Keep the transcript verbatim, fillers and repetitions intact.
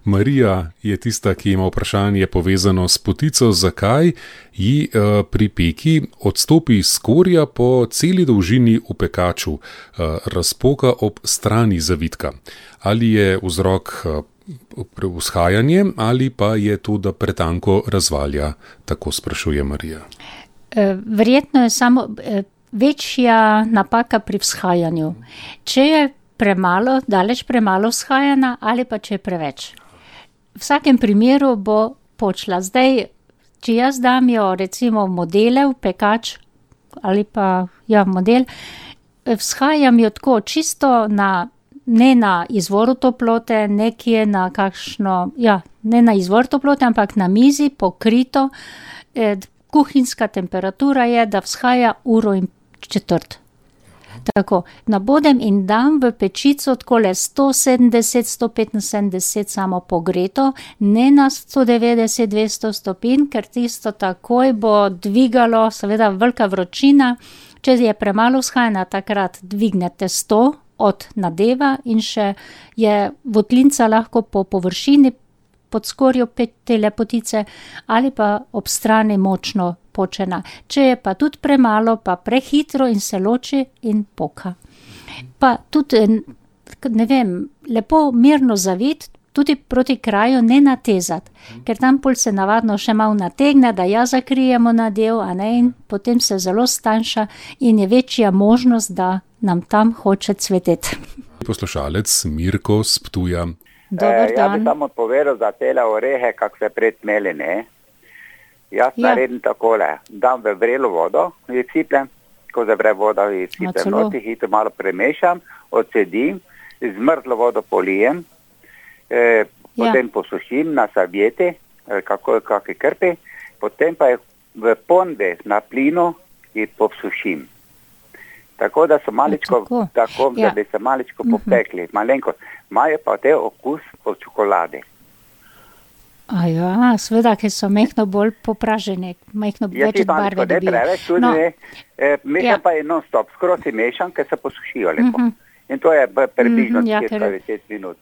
Marija je tista, ki ima vprašanje povezano s potico, zakaj ji uh, pri peki odstopi skorja po celi dolžini v pekaču, uh, razpoka ob strani zavitka. Ali je vzrok uh, vzhajanje ali pa je to, da pretanko razvalja, tako sprašuje Marija. Verjetno je samo večja napaka pri vzhajanju. Če je premalo, daleč premalo vzhajana ali pa če je preveč. V vsakem primeru bo počla. Zdaj, če jaz dam jo recimo modele v pekač ali pa ja, model, vzhajam jo tako čisto na, ne na izvoru toplote, nekje na kakšno, ja, ne na izvor toplote, ampak na mizi pokrito. Eh, kuhinjska temperatura je, da vzhaja uro in četrt. Tako, nabodem in dam v pečico takole sto sedemdeset, sto petinsedemdeset samo pogreto, ne na sto devetdeset, dvesto stopinj, ker tisto takoj bo dvigalo, seveda velika vročina. Če je premalo vzhajana, takrat dvignete sto od nadeva in še je votlinca lahko po površini pod skorjo te lepotice ali pa ob strani močno počena. Če je pa tudi premalo, pa prehitro in se loči in poka. Pa tudi, ne vem, lepo mirno zavit, tudi proti kraju ne natezati, ker tam pol se navadno še malo nategne, da ja zakrijemo nadev, a ne, in potem se zelo stanjša in je večja možnost, da nam tam hoče cveteti. Poslušalec Mirko s Ptuja. Dobar e, dan. Ja bi samo povedal za tele orehe, kak se predmeli, ne. Jaz ja. naredim takole, dam v vrelo vodo, jih siplem, ko zavre voda, jih siplem noti, hitro malo premešam, odsedim, zmrzlo vodo polijem, e, potem ja. posušim na serviete, kako kakšne krpe, potem pa jih v ponde na plinu jih posušim. Tako da so maličko, tako, tako ja. da bi se maličko popekli, uh-huh. malenko. Imajo pa te okus od čokolade. A ja, seveda, ker so mehno bolj popražene, mehno ja, več barve dobijo. Ja, ti preveč tudi no. ne, e, mešam ja. pa je non stop, skoro si mešam, ker se posušijo lepo. Uh-huh. In to je približno uh-huh, ja, deset minut.